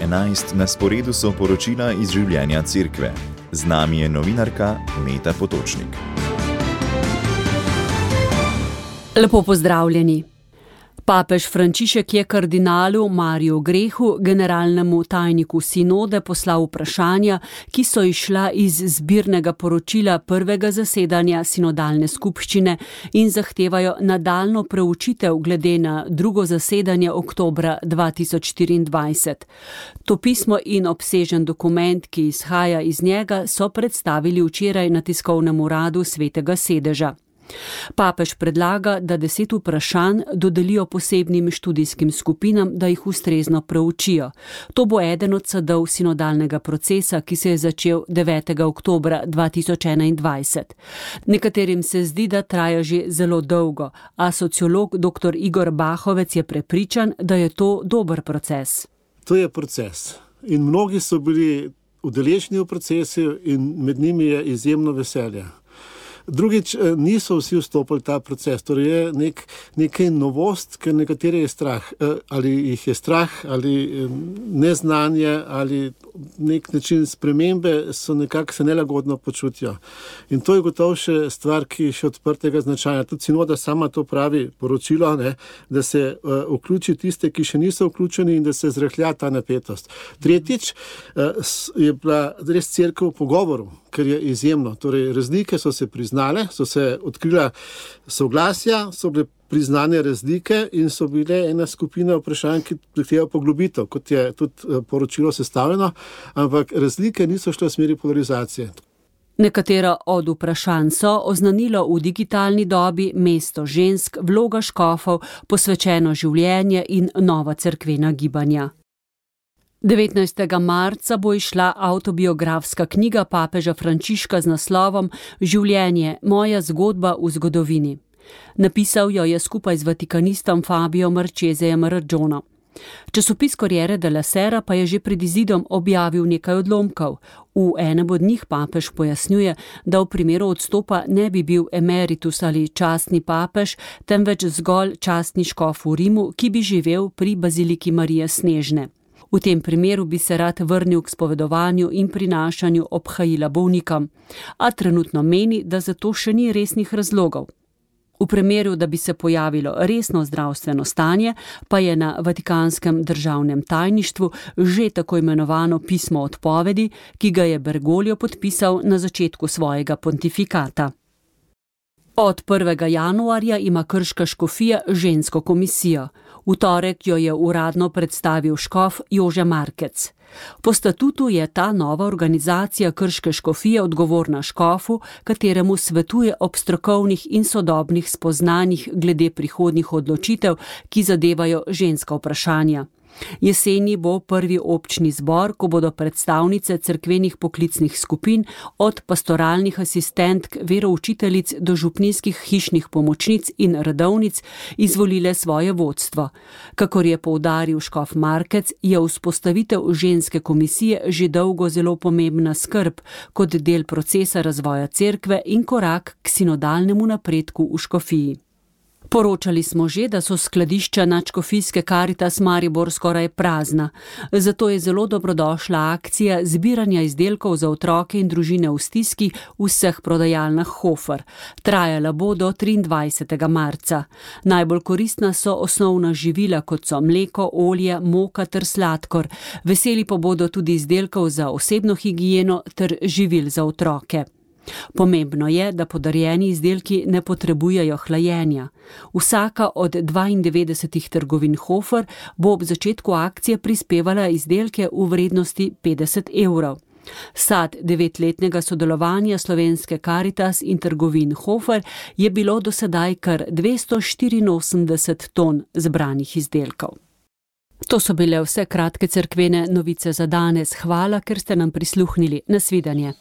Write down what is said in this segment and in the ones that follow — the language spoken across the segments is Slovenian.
11 na sporedu so poročila iz življenja cerkve. Z nami je novinarka Meta Potočnik. Lepo pozdravljeni. Papež Frančišek je kardinalu Mariju Grehu, generalnemu tajniku sinode, poslal vprašanja, ki so izšla iz zbirnega poročila prvega zasedanja sinodalne skupščine in zahtevajo nadaljnjo preučitev glede na drugo zasedanje oktobra 2024. To pismo in obsežen dokument, ki izhaja iz njega, so predstavili včeraj na tiskovnem uradu Svetega sedeža. Papež predlaga, da 10 vprašanj dodelijo posebnim študijskim skupinam, da jih ustrezno preučijo. To bo eden od sadov sinodalnega procesa, ki se je začel 9. oktobra 2021. Nekaterim se zdi, da traja že zelo dolgo, a sociolog dr. Igor Bahovec je prepričan, da je to dober proces. To je proces in mnogi so bili udeleženi v procesu in med njimi je izjemno veselje. Drugič, niso vsi vstopili v ta proces, torej je nekaj novost, ker nekatere je strah, ali jih je strah, ali neznanje, ali nek način spremembe so nekako se nelagodno počutijo. In to je gotovo še stvar, ki je še odprtega značaja. Tudi sinoda sama to pravi poročilo, da se vključi tiste, ki še niso vključeni in da se zrahlja ta napetost. Tretjič, je bila res cerkev v pogovoru, ker je izjemno. Torej, razlike so se priznale, so se odkrila soglasja, so bile priznane razlike in so bile ena skupina vprašanj, ki zahteva poglobitev, kot je tudi poročilo sestavljeno, ampak razlike niso šle v smeri polarizacije. Nekatera od vprašanj so oznanilo v digitalni dobi, mesto žensk, vloga škofov, posvečeno življenje in nova cerkvena gibanja. 19. marca bo izšla avtobiografska knjiga papeža Frančiška z naslovom Življenje, moja zgodba v zgodovini. Napisal jo je skupaj z vatikanistom Fabio Marchesejem Raggiono. Časopis Corriere della Sera pa je že pred izidom objavil nekaj odlomkov. V enem od njih papež pojasnjuje, da v primeru odstopa ne bi bil emeritus ali častni papež, temveč zgolj častni škof v Rimu, ki bi živel pri baziliki Marije Snežne. V tem primeru bi se rad vrnil k spovedovanju in prinašanju obhajila bolnikom, a trenutno meni, da za to še ni resnih razlogov. V primeru, da bi se pojavilo resno zdravstveno stanje, pa je na Vatikanskem državnem tajništvu že tako imenovano pismo odpovedi, ki ga je Bergoglio podpisal na začetku svojega pontifikata. Od 1. januarja ima krška škofija žensko komisijo. V torek jo je uradno predstavil škof Jože Markec. Po statutu je ta nova organizacija krške škofije odgovorna škofu, kateremu svetuje ob strokovnih in sodobnih spoznanjih glede prihodnjih odločitev, ki zadevajo ženska vprašanja. Jeseni bo prvi občni zbor, ko bodo predstavnice cerkvenih poklicnih skupin, od pastoralnih asistentk, veroučiteljic do župnijskih hišnih pomočnic in redovnic, izvolile svoje vodstvo. Kakor je poudaril škof Markec, je vzpostavitev ženske komisije že dolgo zelo pomembna skrb kot del procesa razvoja cerkve in korak k sinodalnemu napredku v škofiji. Poročali smo že, da so skladišča nadškofijske Caritas Maribor skoraj prazna. Zato je zelo dobrodošla akcija zbiranja izdelkov za otroke in družine v stiski v vseh prodajalnah Hofer. Trajala bo do 23. marca. Najbolj koristna so osnovna živila, kot so mleko, olje, moka ter sladkor. Veseli pa bodo tudi izdelkov za osebno higieno ter živil za otroke. Pomembno je, da podarjeni izdelki ne potrebujejo hlajenja. Vsaka od 92 trgovin Hofer bo ob začetku akcije prispevala izdelke v vrednosti 50 €. Sad 9-letnega sodelovanja slovenske Caritas in trgovin Hofer je bilo do sedaj kar 284 ton zbranih izdelkov. To so bile vse kratke cerkvene novice za danes. Hvala, ker ste nam prisluhnili. Nasvidenje.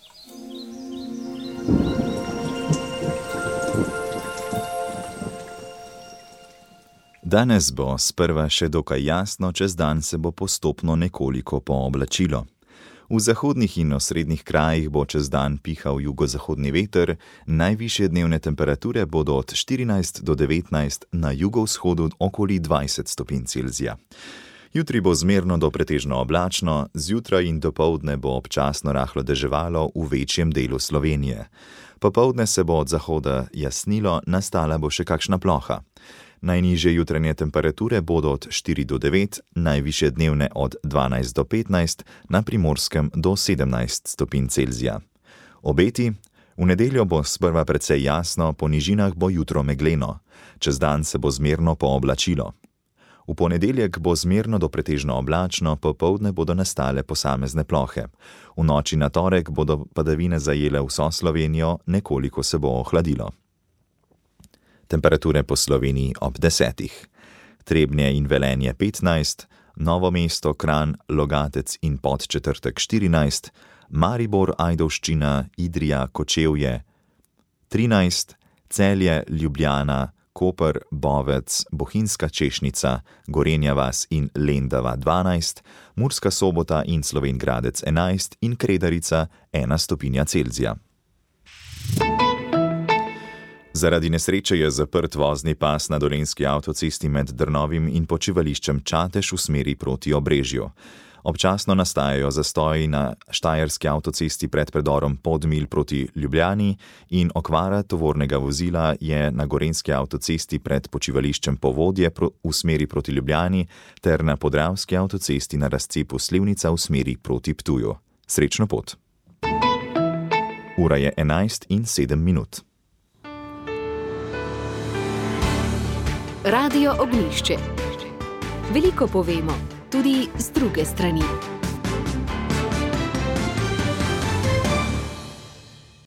Danes bo sprva še dokaj jasno, čez dan se bo postopno nekoliko pooblačilo. V zahodnih in osrednjih krajih bo čez dan pihal jugozahodni veter, najvišje dnevne temperature bodo od 14 do 19, na jugovzhodu okoli 20 stopinj Celzija. Jutri bo zmerno do pretežno oblačno, zjutraj in dopoldne bo občasno rahlo deževalo v večjem delu Slovenije. Popoldne se bo od zahoda jasnilo, nastala bo še kakšna ploha. Najnižje jutranje temperature bodo od 4 do 9, najvišje dnevne od 12 do 15, na Primorskem do 17 stopinj Celzija. Obeti: v nedeljo bo sprva precej jasno, po nižinah bo jutro megleno. Čez dan se bo zmerno pooblačilo. V ponedeljek bo zmerno do pretežno oblačno, popoldne bodo nastale posamezne plohe. V noči na torek bodo padavine zajele vso Slovenijo, nekoliko se bo ohladilo. Temperature po Sloveniji ob 10. Trebnje in Velenje 15, Novo mesto, Kranj, Logatec in Podčetrtek 14, Maribor, Ajdovščina, Idrija, Kočevje 13, Celje, Ljubljana, Koper, Bovec, Bohinjska Češnica, Gorenja vas in Lendava 12, Murska Sobota in Slovenj Gradec 11 in Kredarica 1 stopinja Celzija. Zaradi nesreče je zaprt vozni pas na dolenjski avtocesti med Drnovim in počivališčem Čatež v smeri proti Obrežju. Občasno nastajajo zastoji na štajerski avtocesti pred predorom Podmilj proti Ljubljani in okvara tovornega vozila je na gorenjski avtocesti pred počivališčem Povodje v smeri proti Ljubljani ter na podravski avtocesti na razcepu Slivnica v smeri proti Ptuju. Srečno pot! Ura je 11:07. Radio Ognjišče. Veliko povemo, tudi z druge strani.